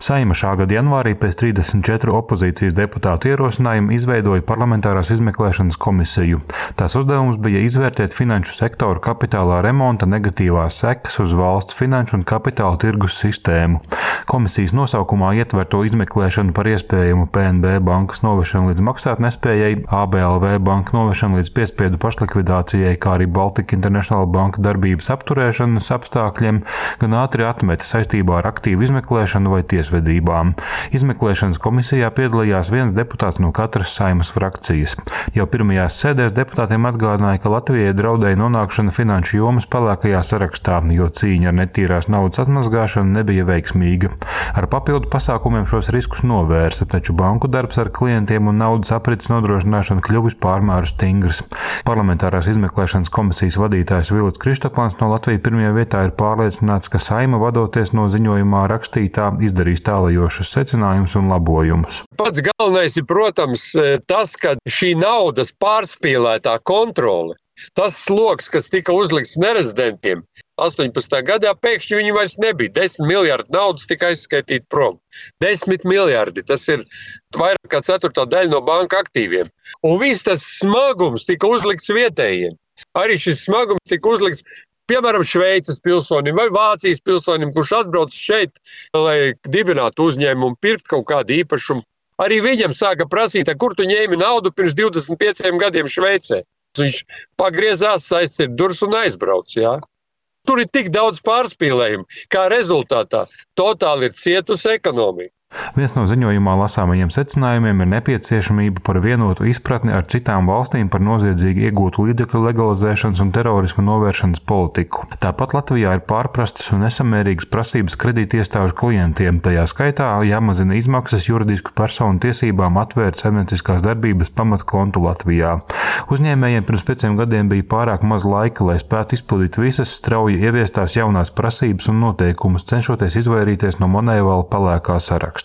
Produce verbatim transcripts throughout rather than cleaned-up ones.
Saeima šā gada janvārī pēc trīsdesmit četru opozīcijas deputātu ierosinājumu izveidoja parlamentārās izmeklēšanas komisiju. Tās uzdevums bija izvērtēt finanšu sektoru kapitālā remonta negatīvās sekas uz valsts finanšu un kapitāla tirgus sistēmu. Komisijas nosaukumā ietverto izmeklēšanu par iespējamu P N B bankas novešanu līdz maksātnespējai, A B L V banka novešanu līdz piespiedu pašlikvidācijai, kā arī Baltic International banka darbības apturēšanas apstākļiem, gan ātri atmeta saistībā ar aktīvu izmeklēšanu vai tiesvedībām. Izmeklēšanas komisijā piedalījās viens deputāts no katras Saeimas frakcijas. Jau pirmajās sēdēs deputātiem atgādināja, ka Latvijai draudēja nonākšana finanšu jomas pelēkajā sarakstā, jo cīņa ar netīrās naudas atmazgāšanu nebija veiksmīga. Ar papildu pasākumiem šos riskus novērsa, taču banku darbs ar klientiem un naudas aprits nodrošināšanu kļuvis pārmēru stingrs. Parlamentārās izmeklēšanas komisijas vadītājs Vilis Kristopans no Latvijas pirmajā vietā ir pārliecināts, ka Saeima, vadoties no ziņojumā rakstītā, izdarīs tālajošus secinājumus un labojumus. Pats galvenais ir, protams, tas, ka šī naudas pārspīlētā kontrole, tas sloks, kas tika uzlikts nerezidentiem, astoņpadsmitajā gadā pēkšņi viņi vairs nebija. Desmit miljardi naudas tika aizskaitīti prom. Desmit miljardi, tas ir vairāk kā ceturtā daļa no banka aktīviem. Un viss tas smagums tika uzlikts vietējiem. Arī šis smagums tika uzlikts, piemēram, Šveices pilsonim vai Vācijas pilsonim, kurš atbrauc šeit, lai dibinātu uzņēmumu, pirkt kaut kādu īpašumu. Arī viņam sāka prasīt, kur tu ņēmi naudu pirms divdesmit pieciem gadiem Šveicē. Viņš pagriezās, aizcir durvis un aizbrauc, jā. Tur ir tik daudz pārspīlējumu, kā rezultātā totāli ir cietusi ekonomika. Viens no ziņojumā lasāmajiem secinājumiem ir nepieciešamība par vienotu izpratni ar citām valstīm par noziedzīgi iegūtu līdzekļu legalizēšanas un terorisma novēršanas politiku. Tāpat Latvijā ir pārprastas un nesamērīgas prasības kredītiestāžu klientiem, tajā skaitā jāmazina izmaksas juridisku personu tiesībām atvērt saimnieciskās darbības pamatkontu Latvijā. Uzņēmējiem pirms pieciem gadiem bija pārāk maz laika, lai spētu izpildīt visas strauji ieviestās jaunās prasības un noteikumus, cenšoties izvairīties no monēvala pelēkā saraksta.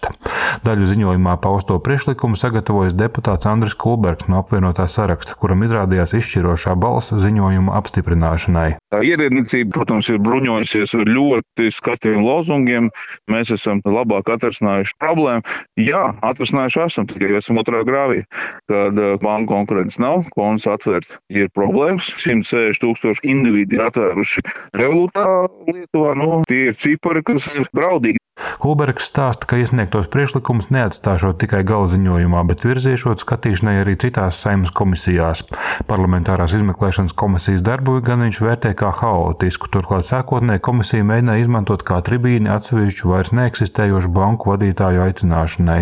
Daļu ziņojumā pausto priekšlikumu sagatavojas deputāts Andris Kulbergs no apvienotā saraksta, kuram izrādījās izšķirošā balss ziņojuma apstiprināšanai. Tā ierēdniecība, protams, ir bruņojusies ar ļoti skaistiem lozungiem. Mēs esam labāk atrasinājuši problēmu. Jā, atrasinājuši esam, tikai esam otrā grāvī, kad banku konkurences nav, konts atvērts. Ir problēmas, simt sešdesmit tūkstoši individi atvēruši Revolūtā Lietuvā. Nu, tie ir cipari, kas ir draudīgi. Kulbergs stāsta, ka iesniegtos priekšlikumus neatstāšot tikai gala ziņojumā, bet virziešot skatīšanai arī citās Saeimas komisijās. Parlamentārās izmeklēšanas komisijas darbu gan viņš vērtē kā haotisku, turklāt sākotnēji komisija mēģināja izmantot kā tribīni atsevišķu vairs neeksistējošu banku vadītāju aicināšanai.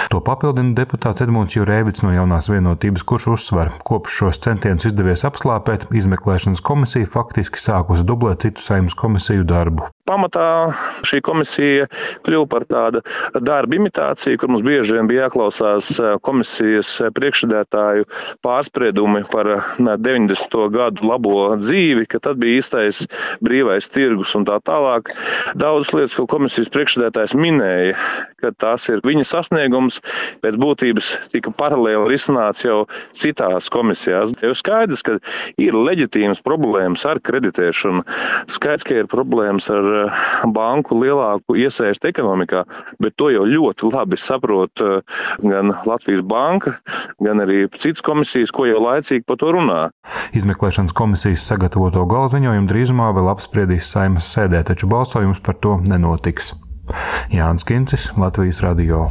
To papildina deputāts Edmunds Jurēvits no Jaunās vienotības, kurš uzsver, kopš šos centienus izdevies apslāpēt, izmeklēšanas komisija faktiski sākusi dublēt citu Saeimas komisiju darbu. Pamatā šī komisija kļuva par tādu darba imitāciju, kur mums bieži vien bija jāklausās komisijas priekšsēdētāju pārspriedumi par deviņdesmito gadu labo dzīvi, ka tad bija īstais brīvais tirgus un tā tālāk. Daudzas lietas, ko komisijas priekšsēdētājs minēja, ka tās ir viņa sasniegums, pēc būtības tika paralēli risināts jau citās komisijās. Jau skaidrs, ka ir leģitīmas problēmas ar kreditēšanu, skaidrs, ka ir problēmas ar banku lielāku iesaisti ekonomikā, bet to jau ļoti labi saprot gan Latvijas banka, gan arī citas komisijas, ko jau laicīgi par to runā. Izmeklēšanas komisijas sagatavoto galziņojumu drīzumā vēl apspriedīs Saeimas sēdē, taču balsojums par to nenotiks. Jānis Kincis, Latvijas radio.